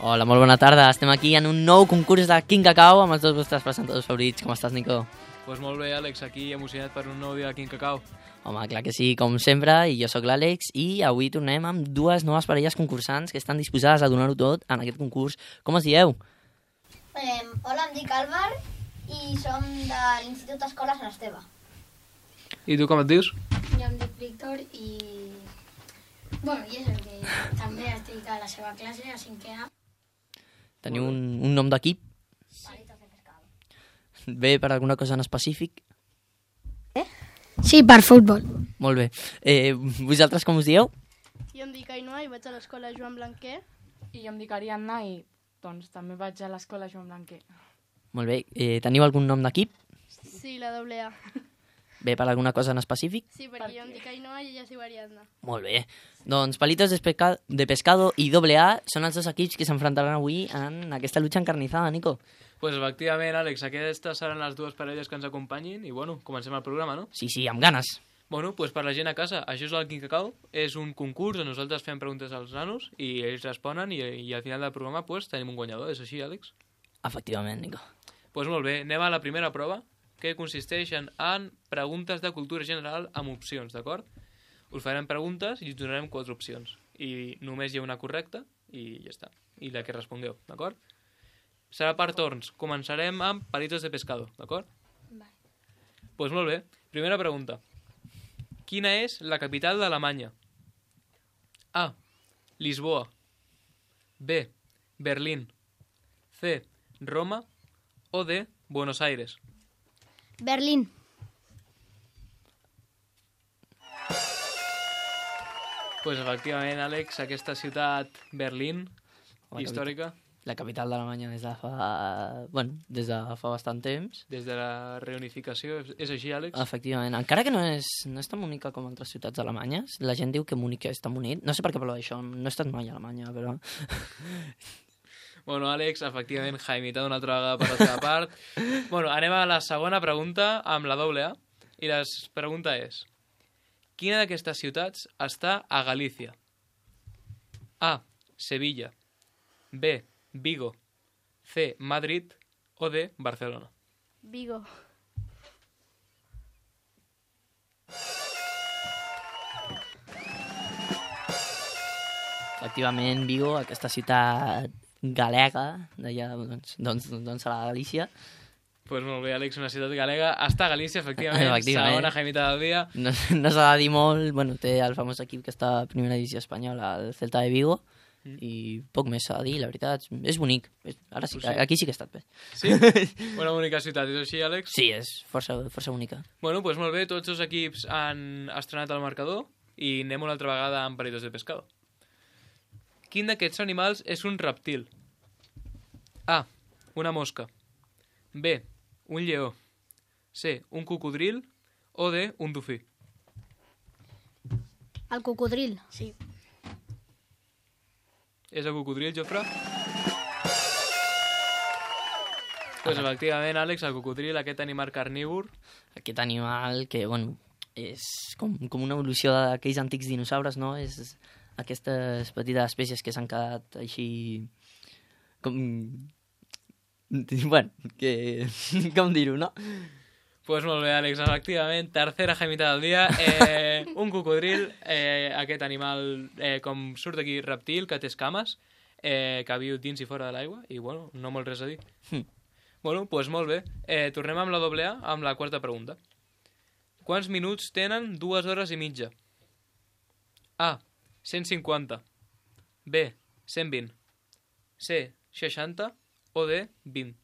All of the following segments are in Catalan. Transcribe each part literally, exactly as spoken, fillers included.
Hola, molt bona tarda. Estem aquí en un nou concurs de Quin Cacau amb els dos vostres presentadors favorits. Com estàs, Nico? Pues molt bé, Àlex, aquí emocionat per un nou dia de Quin Cacau. Home, clar que sí, com sempre, i jo sóc l'Àlex, i avui tornem amb dues noves parelles concursants que estan disposades a donar-ho tot en aquest concurs. Com es dieu? Eh, hola, em dic Àlvar i som de l'Institut Escola Sant Esteve. I tu com et dius? Jo em dic Víctor i... Bueno, i és el que també estic a la seva classe, a cinquè A. Teniu un, un nom d'equip? Palitos de pescado. Ve per alguna cosa en específic? Sí, per futbol. Molt bé. Eh, vosaltres com us dieu? Jo em dic Ainhoa i vaig a l'escola Joan Blanquer. I jo em dic Ariadna i doncs també vaig a l'escola Joan Blanquer. Molt bé. Eh, teniu algun nom d'equip? Sí, la doble A. Ve per alguna cosa en específic? Sí, perquè jo em dic Ainhoa i ella es diu Ariadna. Molt bé. Doncs Palitos de, Pesca de Pescado i doble A són els dos equips que s'enfrontaran avui en aquesta lucha encarnizada, Nico. Pues efectivament, Àlex, aquestes seran les dues parelles que ens acompanyin i, bueno, comencem el programa, no? Sí, sí, amb ganes. Bueno, pues per la gent a casa, això és el Quin Cacau, és un concurs on nosaltres fem preguntes als nanos i ells responen i, i al final del programa pues, tenim un guanyador, és així, Àlex? Efectivament, Nico. Pues molt bé, anem a la primera prova, que consisteixen en preguntes de cultura general amb opcions, d'acord? Us farem preguntes i us donarem quatre opcions. I només hi ha una correcta i ja està. I la que respongueu, d'acord? Serà per torns. Començarem amb Palitos de Pescado, d'acord? Vale. Pues molt bé. Primera pregunta. Quina és la capital d'Alemanya? A. Lisboa. B. Berlín. C. Roma. O D. Buenos Aires. Berlín. Pues efectivament, Àlex, aquesta ciutat Berlín, La històrica, La capital d'Alemanya des de fa... Bueno, des de fa bastant temps. des de la reunificació, és- és així, Àlex? Efectivament. Encara que no és, no és tan bonica com altres ciutats alemanyes, la gent diu que Múnich és tan bonic. No sé per què parlo d'això, no he estat mai a Alemanya, però... Bueno, Àlex, efectivament, Jaimita una altra vegada per la teva part. Bueno, anem a la segona pregunta amb la doble A. I la pregunta és: quina d'aquestes ciutats està a Galícia? A. Sevilla. B. Vigo. C. Madrid. O D. Barcelona. Vigo. Efectivament, Vigo, aquesta ciutat galega, d'allà, doncs, doncs, doncs serà Galícia. Pues molt bé, Àlex, una ciutat galega. Està a Galícia, efectivament. Efectivament. Segona Jaimita del dia. No, no s'ha de dir molt, bueno, té el famós equip que està a primera divisió espanyola, el Celta de Vigo, Mm. i poc més s'ha de dir, la veritat, és bonic. Ara sí, Pues sí. aquí sí que he estat bé. Sí? Una bonica ciutat, és així, Àlex? Sí, és força, força única. Bueno, doncs molt bé, tots els equips han estrenat el marcador i anem una altra vegada amb Palitos de Pescado. Quin d'aquests animals és un reptil? A. Una mosca. B. Un lleó. C. Un cocodril. O D. Un dofí. El cocodril. Sí. És el cocodril, Jofre? Pues efectivament, Àlex, el cocodril, aquest animal carnívor. Aquest animal que, bueno, és com, com una evolució d'aquells antics dinosaures, no? És aquestes petites espècies que s'han quedat així... Com... Bueno, que... com dir-ho, no? Pues molt bé, Àlex, efectivament, tercera Jaimita del dia, eh, un cocodril, eh, aquest animal, eh, com surt aquí, reptil, que té escames, eh, que viu dins i fora de l'aigua, i bueno, no molt res a dir. Hm. Bueno, doncs molt bé, eh, tornem amb la doble A, amb la quarta pregunta. Quants minuts tenen dues hores i mitja? A, cent cinquanta. B, cent vint. C, seixanta. O D, vint.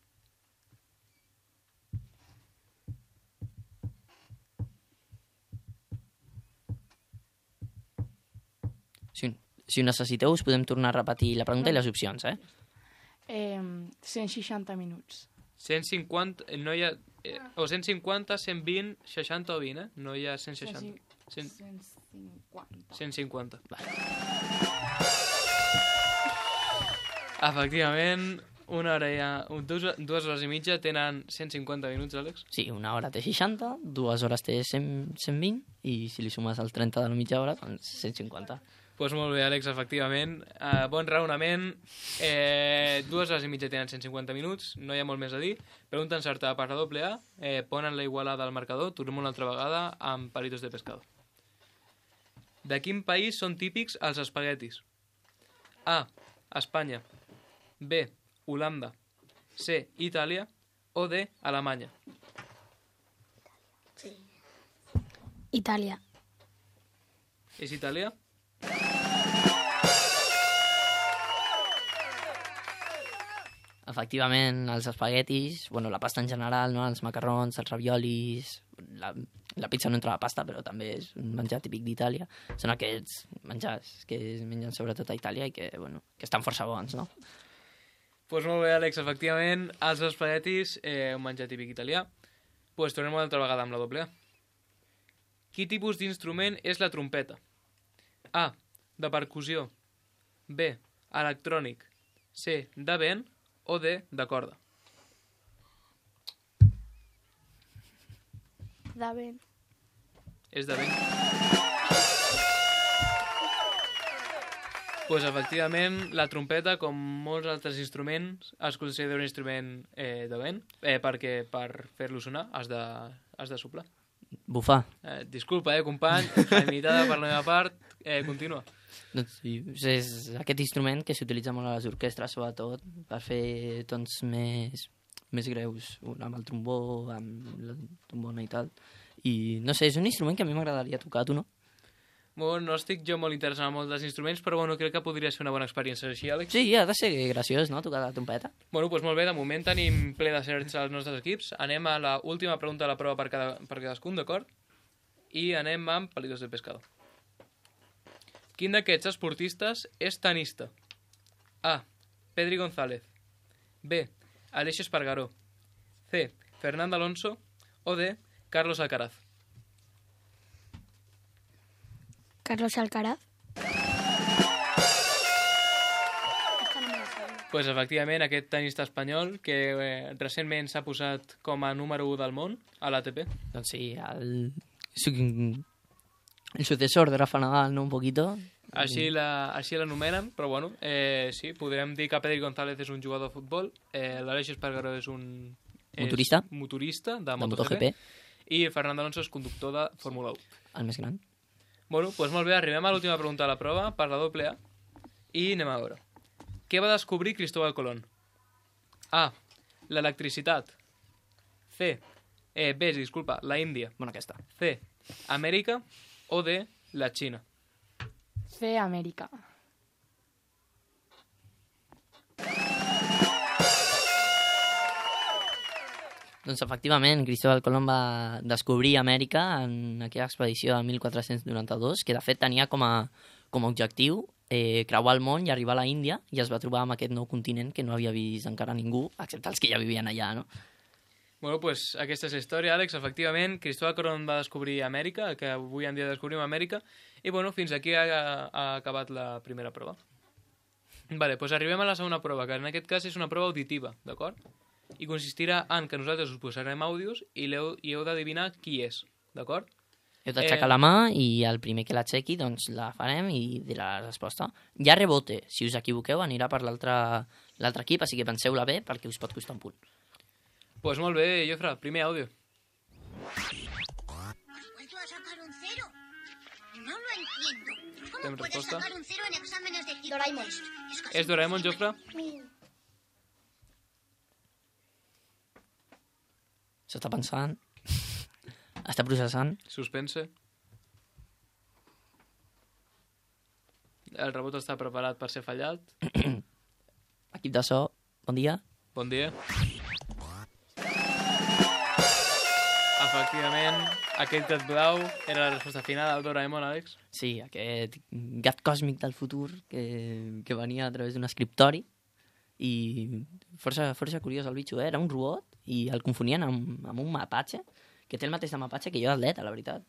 Si, si ho necessiteu, us podem tornar a repetir la pregunta i les opcions, eh? Eh, cent seixanta minuts. cent cinquanta, no hi ha... Eh, o cent cinquanta, cent vint, seixanta o vint, eh? No hi ha cent seixanta. cent, cent cinquanta. cent cinquanta. Efectivament, una hora i ha... Dues, dues hores i mitja tenen cent cinquanta minuts, Àlex. Sí, una hora té seixanta, dues hores té cent, cent vint, i si li sumes el trenta de la mitja hora, doncs cent cinquanta. Pues molt bé, Àlex, efectivament. Uh, bon raonament. Eh, dues hores i mitja tenen cent cinquanta minuts, no hi ha molt més a dir. Pregunta encertada per la doble A. Eh, ponen la igualada al marcador, tornem una altra vegada amb palitos de pescado. De quin país són típics els espaguetis? A. Espanya. B. Holanda. C. Itàlia. O D. Alemanya. Itàlia. És Itàlia? Efectivament, els espaguetis, bueno, la pasta en general, no? Els macarrons, els raviolis, la, la pizza no entra a la pasta, però també és un menjar típic d'Itàlia. Són aquests menjars que es mengen sobretot a Itàlia i que, bueno, que estan força bons, no? Doncs pues molt bé, Àlex, efectivament, els espaguetis, eh, un menjar típic italià. Doncs pues tornem una altra vegada amb la doble A. Quin tipus d'instrument és la trompeta? A. De percussió. B. Electrònic. C. De vent. O D. De corda. De vent. És de vent. Pues, efectivament, la trompeta, com molts altres instruments, es considera un instrument eh, de vent, eh, perquè per fer-lo sonar has de, has de soplar. Bufar. Eh, disculpa, eh, company, imitada per la meva part, eh, continua. Doncs sí, és aquest instrument que s'utilitza molt a les orquestres, sobretot, per fer tons més, més greus, amb el trombó, amb la trombona i tal. I no sé, és un instrument que a mi m'agradaria tocar, tu no? Bueno, no estic jo molt interessat en molts dels instruments, però bueno, crec que podria ser una bona experiència. Així, Àlex? Sí, ha de ser graciós, no?, tocar la trompeta. Bueno, doncs molt bé, de moment tenim ple de certs als nostres equips. Anem a la última pregunta de la prova per, cada, per cadascun, d'acord? I anem amb palitos de pescado. Quin d'aquests esportistes és tenista? A. Pedri González. B. Aleix Espargaró. C. Fernando Alonso. O D. Carlos Alcaraz. Carlos Alcaraz. Pues efectivament, aquest tenista espanyol que eh, recentment s'ha posat com a número u del món a l'A T P. Doncs sí, el, el sucesor de Rafa Nadal, ¿no?, un poquito. Així la, així l'anomenen, però bueno, eh, sí, podríem dir que Pedri González és un jugador de futbol, eh, l'Aleix Espargaró és un... És motorista. Motorista de, de MotoGP. MotoGP. I Fernando Alonso és conductor de Fórmula u. El més gran. Bueno, doncs molt bé, arribem a l'última pregunta de la prova per la doble A i anem a veure. Què va descobrir Cristóbal Colón? A. L'electricitat. C. Eh, B, disculpa, la Índia. Bueno, aquesta. C. Amèrica. O D. La Xina. C. Amèrica. Doncs efectivament, Cristóbal Colón va descobrir Amèrica en aquella expedició de mil quatre-cents noranta-dos, que de fet tenia com a, com a objectiu eh, creuar el món i arribar a la Índia, i es va trobar amb aquest nou continent que no havia vist encara ningú, excepte els que ja vivien allà, no? Bueno, pues aquesta és la història, Àlex. Efectivament, Cristóbal Colón va descobrir Amèrica, que avui en dia descobrim Amèrica, i bueno, fins aquí ha, ha acabat la primera prova. Vale, pues arribem a la segona prova, que en aquest cas és una prova auditiva, d'acord? I consistirà en que nosaltres us posarem àudios i, heu, i heu d'adivinar qui és, d'acord? Heu d'aixecar eh... la mà i el primer que l'aixequi doncs la farem i dirà la resposta. Hi ha rebote, si us equivoqueu anirà per l'altre equip, així que penseu-la bé perquè us pot costar un punt. Pues molt bé, Jofre, primer àudio. ¿Has vuelto a sacar un cero? No lo entiendo. ¿Cómo ¿Tem puedes respuesta? sacar un cero en exámenes de tipo Doraemon. test? Es casi És Doraemon, imposible. Jofre? S'està pensant, està processant. Suspense. El rebot està preparat per ser fallat. Equip de so, bon dia. Bon dia. Efectivament, aquest gat blau era la resposta final del Doraemon, Àlex. Sí, aquest gat còsmic del futur que, que venia a través d'un escriptori i força, força curiós el bitxo, eh? Era un robot i el confonien amb, amb un mapatge, que té el mateix de mapatge que jo d'atleta, la veritat.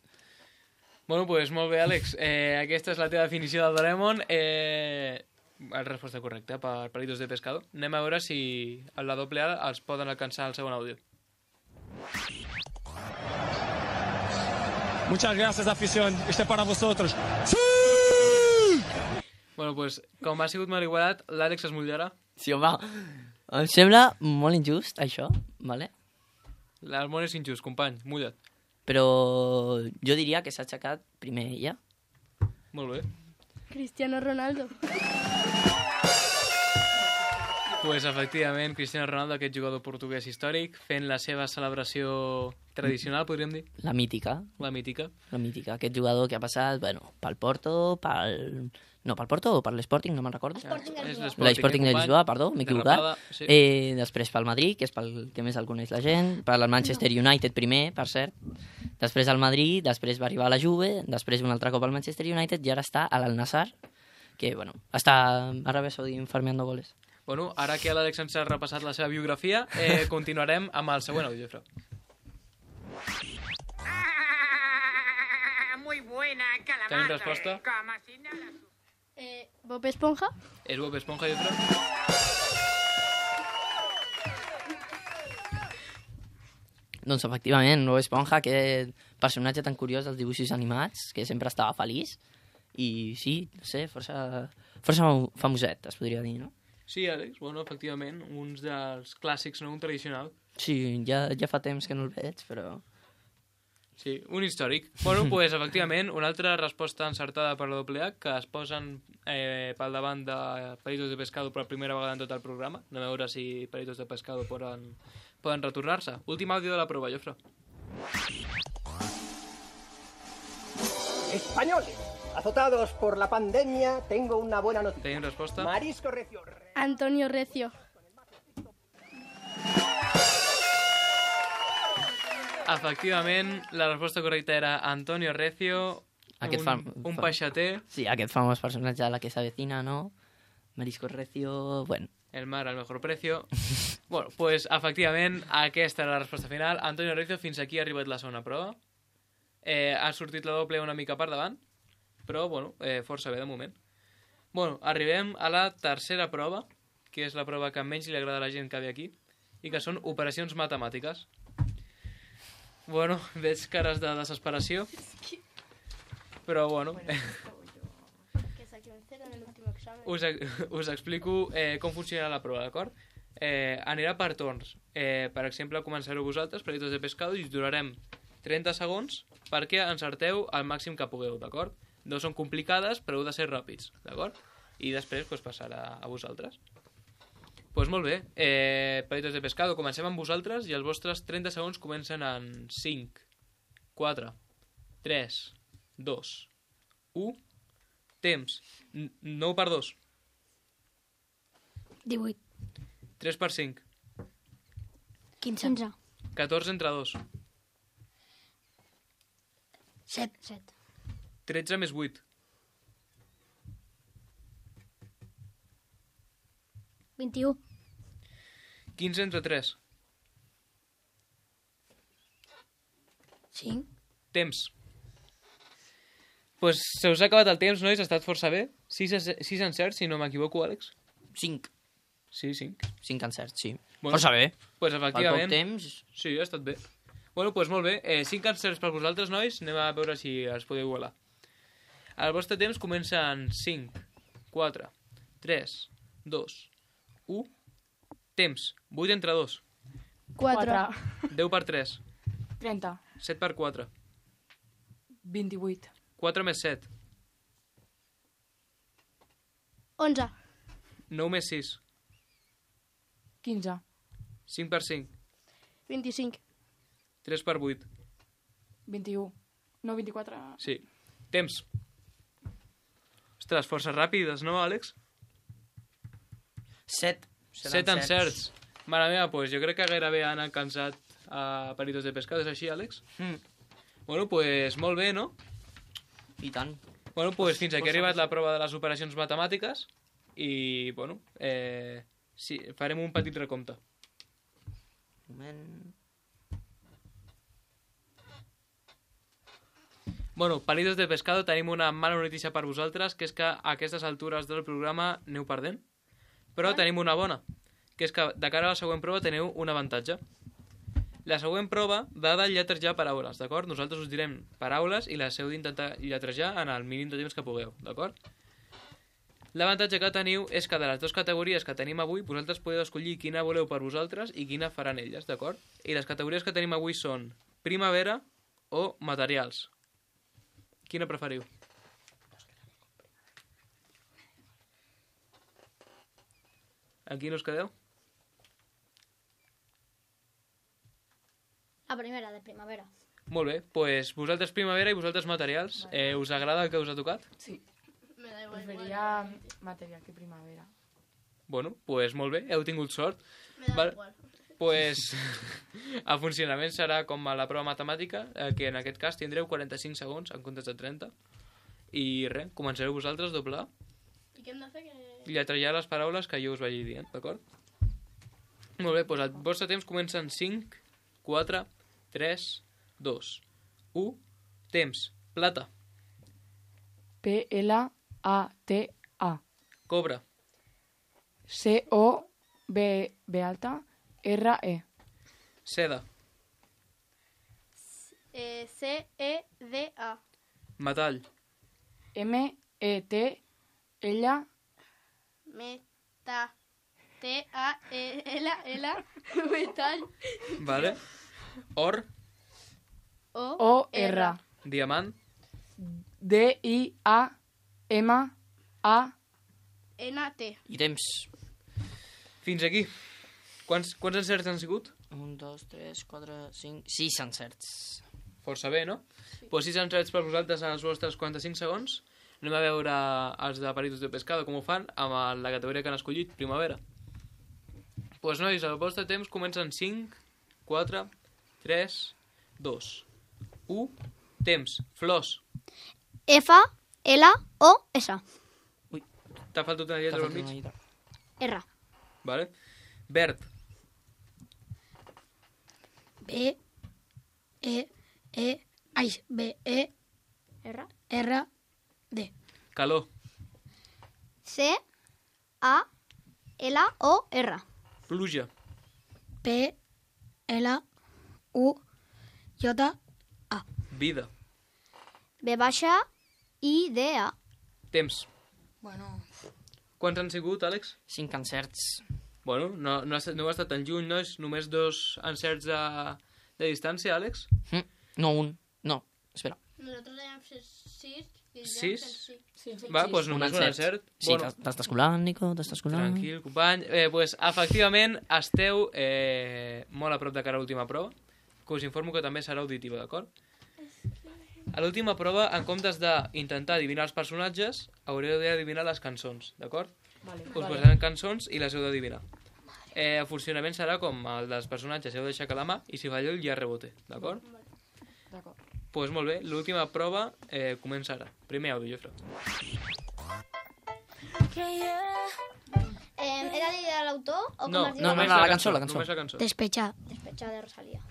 Bueno, doncs pues, molt bé, Àlex. Eh, aquesta és la teva definició del Doraemon. Eh, la resposta correcta per palitos de pescado. Anem a veure si a la doble A els poden alcançar el segon àudio. Muchas gracias, afición. Este es para vosotros. ¡Sí! Bueno, doncs, com ha sigut molt igualat, l'Àlex es mullarà. Sí, home, em sembla molt injust, això, vale? El món és injust, company, mulla't. Però jo diria que s'ha aixecat primer ella. Molt bé. Cristiano Ronaldo. Pues, efectivament, Cristiano Ronaldo, aquest jugador portuguès històric, fent la seva celebració tradicional, podríem dir, La mítica, la mítica. la mítica. Aquest jugador que ha passat, bueno, pel Porto, pel... No, pel Porto o per l'Sporting, no me'n recordo. Sporting de És Lisboa. L'Sporting de company. Lisboa, perdó, m'he equivocat. Derrapada, sí. Eh, després pel Madrid, que és pel que més el coneix la gent, per al Manchester United primer, per cert, després al Madrid, després va arribar a la Juve, després un altre cop al Manchester United i ara està a l'Al-Nassr, que, bueno, està a Aràbia Saudí farmeando goles. Bueno, ara que l'Àlex ens ha repassat la seva biografia, eh, continuarem amb el següent àudio, Jofre. Ah, muy buena calabaza. Tenim resposta? Como si nada. Eh, Bob Esponja. És Bob Esponja, Jofre? Doncs, efectivament, Bob Esponja, aquest personatge tan curiós dels dibuixos animats, que sempre estava feliç, i sí, no sé, força, força famoset, es podria dir, no? Sí, Àlex, bueno, efectivament, uns dels clàssics, no? Un tradicional. Sí, ja, ja fa temps que no el veig, però... Sí, un històric. Bueno, doncs, pues, efectivament, una altra resposta encertada per la doble A, que es posen eh, pel davant de Palitos de Pescado per primera vegada en tot el programa. Anem a veure si Palitos de Pescado poden, poden retornar-se. Últim àudio de la prova, Jofre. Españoles, azotados por la pandemia, tengo una buena noticia. Tenim resposta? Marisco Recio. Antonio Recio. Efectivament, la resposta correcta era Antonio Recio, Aquest un, fam- un fam- peixater, Sí, aquest famós personatge de la que s'avecina, no? Marisco Recio... Bueno, el mar al mejor precio. Bueno, pues, efectivament, aquesta era la resposta final. Antonio Recio, fins aquí ha arribat la segona prova. Eh, ha sortit la doble una mica per davant, però, bueno, eh, força bé de moment. Bueno, arribem a la tercera prova, que és la prova que menys li agrada a la gent que ve aquí, i que són operacions matemàtiques. Bueno, veig cares de desesperació, però, bueno, Que saqué un cero en el último examen. us, us explico eh, com funcionarà la prova, d'acord? Eh, anirà per torns. Eh, per exemple, començareu vosaltres, Palitos de Pescado, i us durarem trenta segons perquè encerteu el màxim que pugueu, d'acord? No són complicades, però heu de ser ràpids, d'acord? I després pues, passarà a vosaltres. Doncs pues molt bé, eh, Palitos de Pescado, comencem amb vosaltres i els vostres trenta segons comencen en cinc, quatre, tres, dos, u, temps, N- nou per dos, divuit. tres per cinc, quinze. catorze entre dos, set. set. tretze més vuit, vint-i-u. quinze entre tres, cinc. temps. Pues se us ha acabat el temps, nois, ha estat força bé. sis encerts, si no m'equivoco, Àlex. cinc. Sí, cinc. cinc encerts, sí. Bueno, Força bé. Pues Per poc efectivament, temps... sí, ha estat bé. Bueno, doncs molt bé. Eh, cinc encerts per vosaltres, nois. Anem a veure si els podeu igualar. El vostre temps comença en cinc, quatre, tres, dos, u, temps. vuit entre dos, quatre. deu per tres, trenta. set per quatre, vint-i-vuit. quatre més set, onze. nou més sis, quinze. cinc per cinc, vint-i-cinc. tres per vuit. vint-i-u. No, vint-i-quatre. Sí. Temps. Ostres, força ràpides, no, Àlex? set. set encerts. Mare meva, doncs jo crec que gairebé han alcançat a Palitos de Pescado. És així, Àlex? Mm. Bueno, doncs pues, molt bé, no? I tant. Bueno, doncs fins aquí ha arribat la prova de les operacions matemàtiques i, bueno, eh, sí, farem un petit recompte. Un moment... Bueno, Palitos de Pescado, tenim una mala notícia per vosaltres, que és que a aquestes altures del programa aneu perdent. Però tenim una bona, que és que de cara a la següent prova teniu un avantatge. La següent prova va de lletrejar paraules, d'acord? Nosaltres us direm paraules i les heu d'intentar lletrejar en el mínim de temps que pugueu, d'acord? L'avantatge que teniu és que de les dues categories que tenim avui, vosaltres podeu escollir quina voleu per vosaltres i quina faran elles, d'acord? I les categories que tenim avui són primavera o materials. Quina preferiu? En quin us quedeu? La primera, de primavera. Molt bé, doncs vosaltres primavera i vosaltres materials. Eh, us agrada el que us ha tocat? Sí. Me da igual. Preferiria material que primavera. Bueno, doncs molt bé, heu tingut sort. Me da Val. igual. Pues el funcionament serà com a la prova matemàtica, eh, que en aquest cas tindreu quaranta-cinc segons en comptes de trenta. I res, començareu vosaltres, doble A, I què hem de fer? Que... i lletrallar les paraules que jo us vagi dient, d'acord? Molt bé, doncs el vostre temps comença en cinc, quatre, tres, dos, u, temps, plata, P L A T A. cobre, C O B B alta R E. seda, Eh, C E D A. metall, M E T L Meta. T A E L L. Metal. vale? Or, O. O R. diamant, D I A M A. N T. I temps. fins aquí. Quants, quants encerts han sigut? Un, dos, tres, quatre, cinc, sis encerts. Força bé, no? Doncs pues sis encerts per vosaltres en els vostres quaranta-cinc segons. Anem a veure els de Peritos de Pescado com ho fan amb la categoria que han escollit, primavera. Doncs pues, nois, el vostre temps comença en cinc, quatre, tres, dos, u, temps, flors. F, L, O, S. T'ha faltat una T'ha lletra al faltat una mig? lletra. R. Vale. Verd, B, E, E, ai, B, E, R. R, D. calor, C, A, L, O, R. pluja, P, L, U, J, vida, B baixa, I, D, A. temps. bueno, Quants han sigut, Àlex? Cinc encerts. Bueno, no, no, ha estat, no ha estat tan lluny, no? És només dos encerts de, de distància, Àlex? Mm, no, un. No, espera. Nosotros debíamos ser seis. Y Sis? sí. Sí, sí. Va, doncs només un encert. Sí, Bueno, t'estàs colant, Nico, t'estàs colant. tranquil, company. Eh, pues, efectivament, esteu eh, molt a prop de cara a l'última prova, que us informo que també serà auditiva, d'acord? A l'última prova, en comptes d'intentar adivinar els personatges, haureu d'adivinar les cançons, d'acord? Vale. Us posaran cançons i les heu d'adivinar. Eh, el funcionament serà com el dels personatges, heu d'aixecar la mà i si falleu ja rebote, d'acord? D'acord. Doncs pues molt bé, l'última prova eh, comença ara. Primer àudio, Jofre. Eh, ¿Era de l'autor o com No, has dit? no, només no, la cançó, la cançó. Només la cançó. despechar. Despechada de Rosalía.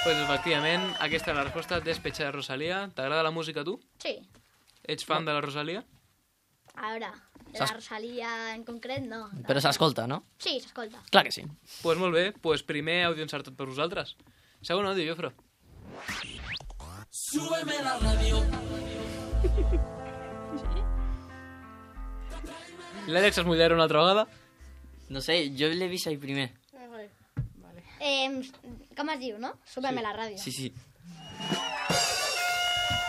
Pues efectivament, aquesta és la resposta, Despecha de Rosalía. T'agrada la música a tu? Sí. Ets fan de la Rosalía? Ahora, de S'ha- la Rosalía en concret, no. Però s'escolta, no? Sí, s'escolta. Clar que sí. Doncs pues molt bé, pues primer àudio encertat per vosaltres. Segon àudio, Jofre. L'Àlex es mullarà una altra vegada? No sé, jo l'he vist ahir primer. Eh, com es diu, no? Súbeme Sí. la ràdio. Sí, sí.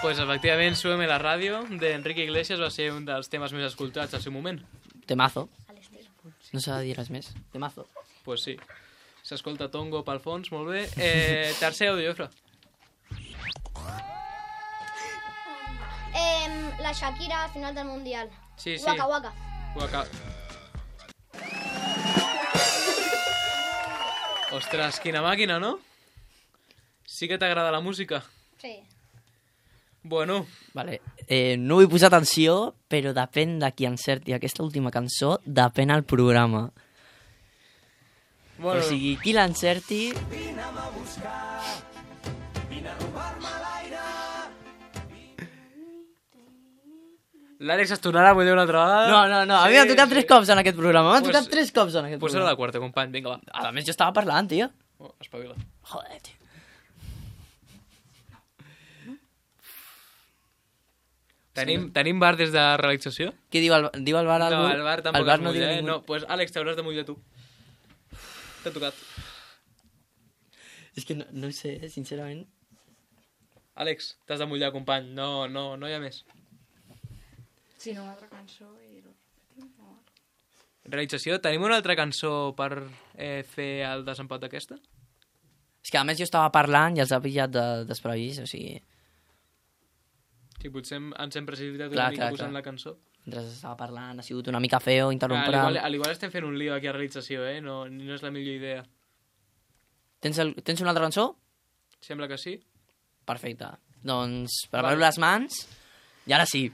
Pues efectivament, Súbeme la ràdio d'Enrique Iglesias va ser un dels temes més escoltats al seu moment. Temazo. A l'estil. No s'ha de dir res més. Temazo. Pues sí. S'escolta Tongo pel fons, molt bé. Eh, tercer àudio, Jofre. Eh, la Shakira al final del Mundial. Sí, sí. Waka Waka. Waka. Ostres, quina màquina, no? Sí que t'agrada la música? Sí. Bueno, Vale. Eh, no vull posar atenció, però depèn de qui encerti aquesta última cançó, depèn el programa. bueno O sigui, qui l'encerti... l'Àlex es tornarà a mullar una altra vegada. No, no, no, a mi Sí, m'ha tocat sí. tres cops en aquest programa, m'ha Pues- tocat tres cops en aquest Pues serà programa. la quarta, company, vinga, va. A més, jo estava parlant, tio. Oh, espavila. Joder, tio. Tenim, tenim bar des de realització? Què diu el, diu el bar? No, algú? el bar tampoc el bar es no mulla, diu eh? ningú. No, pues Àlex, t'hauràs de mullar tu. T'ha tocat. És que no, no ho sé, sincerament. Àlex, t'has de mullar, company. No, no, no hi ha més. Sí, no, una altra cançó i... lo repetim, o... Realització, tenim una altra cançó per eh, fer el desempat d'aquesta? És que a més jo estava parlant i els ha pillat de, desprevist, o sigui... Sí, potser hem, ens hem precipitat Clar, una mica clar, posant clar. la cançó. Mentre estava parlant ha sigut una mica feo Al interrompre... igual, al igual estem fent un lío aquí a realització, eh? No, no és la millor idea. Tens, el, tens una altra cançó? Sembla que sí. Perfecte. Doncs prepareu Vale. les mans i ara sí.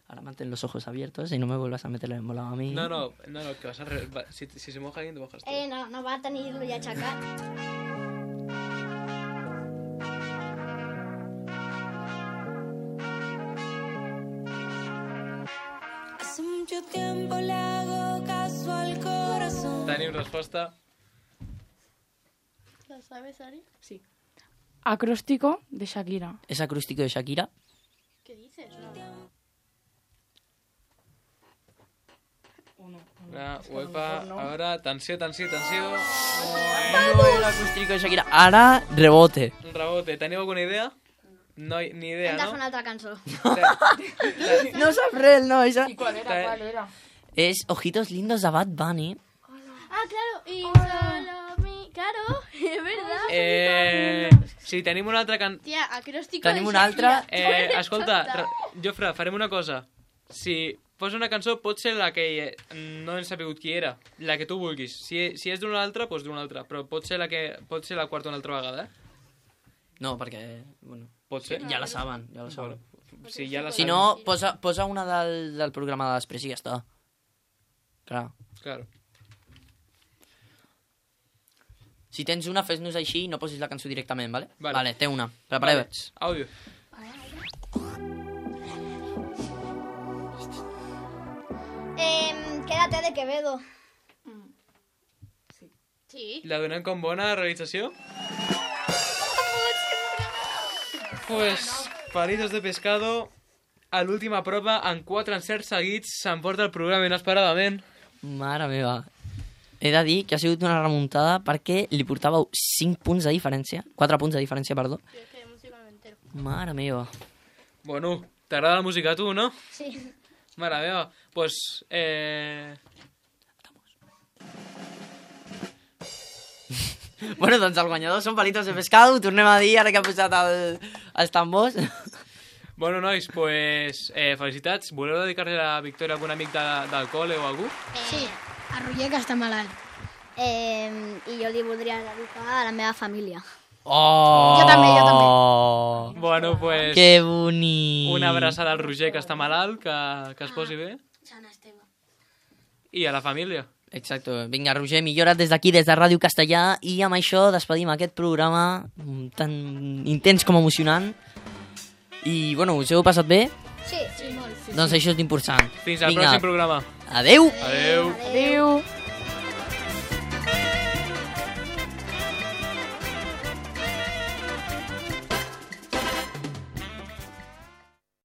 Ahora mantén los ojos abiertos y no me vuelvas a meter el embolado a mí. No, no, no, no que vas a... Re... va, si, si se moja alguien, te mojas tú. Eh, no, no va a tenir-lo ja aixecat. Hace mucho tiempo le hago caso al corazón. Tenim resposta. ¿La sabes, Ari? Sí. Acróstico de Shakira. ¿Es acústico de Shakira? ¿Qué dices? No. Uno, uno. Ah, És que a lo uepa, mejor no. ahora, tensió, tensió, tensió. No era acústico de Shakira. Ara, rebote. Un rebote. Teniu alguna idea? No, hi- ni idea, Hem de fer no? una altra cançó. No sap res, no. Esa... ¿Y cuál era? ¿Cuál era? Es Ojitos Lindos de Bad Bunny. Ah, claro. Y solo mi... Claro, es verdad. Eh, si tenim una altra can... Tía, acróstico Tenim de una altra. Shakira. Eh, escolta, Ra- Jofre, farem una cosa. Si posa una cançó, pot ser la que eh, no hem sabut qui era. La que tu vulguis. Si, si és d'una altra, doncs d'una altra. Però pot ser la que pot ser la quarta una altra vegada, eh? No, perquè... Bueno, Pot ser? ja la saben, ja la saben. Bueno, si ja la Si sabem. no, posa, posa una del, del programa de després i ja està. Clar. Claro. Si tens una, fes-nos així i no posis la cançó directament, vale? Vale. Vale, té una. Prepareu-vos. Àudio. Eh, quédate de Quevedo. Sí. La donem com bona realització? Pues, palitos de pescado, a l'última prova, en quatre encerts seguits, s'emporta el programa inesperadament. Mare meva. He de dir que ha sigut una remuntada perquè li portàveu cinc punts de diferència. quatre punts de diferència, perdó. Yo es que de música no me entero. Mare meva. Bueno, t'agrada la música a tu, no? Sí. Mare meva. Pues, eh... Bueno, doncs el guanyador són palitos de pescado. Ho tornem a dir ara que ha posat el, els tambors. Bueno, nois, pues, eh, felicitats. Voleu dedicar-li la victòria a algun amic de, del col·le o algú? Sí, a Roger, que està malalt. Eh, I jo li voldria dedicar a la meva família. Oh! Jo també, jo també. Bueno, pues... Que bonic. Una abraçada al Roger, que està malalt, que, que es posi bé. Sant Esteve. I a la família. Exacto. Vinga, Roger, millora't des d'aquí, des de Ràdio Castellà, i amb això despedim aquest programa mm, tan intens com emocionant. I, bueno, us heu passat bé? Sí, sí, molt. Doncs això és l'important. Fins al Vinga. pròxim programa. Adeu! Adeu. Adéu.